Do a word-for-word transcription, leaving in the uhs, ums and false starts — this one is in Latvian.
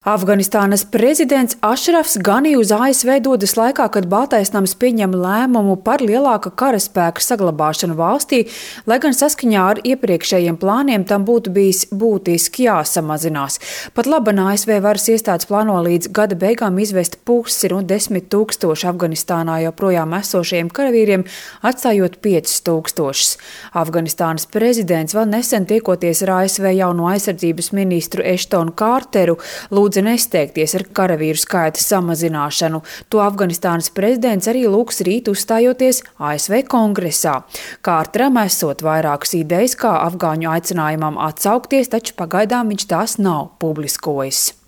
Afganistānas prezidents Ašrafs Gani uz A S V dodas laikā, kad Baltais nams pieņem lēmumu par lielāka karaspēka saglabāšanu valstī, lai gan saskaņā ar iepriekšējiem plāniem tam būtu bijis būtiski jāsamazinās. Pat laban A S V varas iestādes plāno līdz gada beigām izvest pusi no desmit tūkstošu Afganistānā joprojām esošajiem karavīriem, atstājot piecus tūkstošus. Afganistānas prezidents vēl nesen tiekoties ar A S V jauno aizsardzības ministru Eštonu Kārteru, lūdza nesteigties ar karavīru skaita samazināšanu. To Afganistānas prezidents arī lūgs rīt uzstājoties A S V kongresā. Kārteram esot vairākas idejas, kā afgāņu aicinājumam atsaukties, taču pagaidām viņš tās nav publiskojis.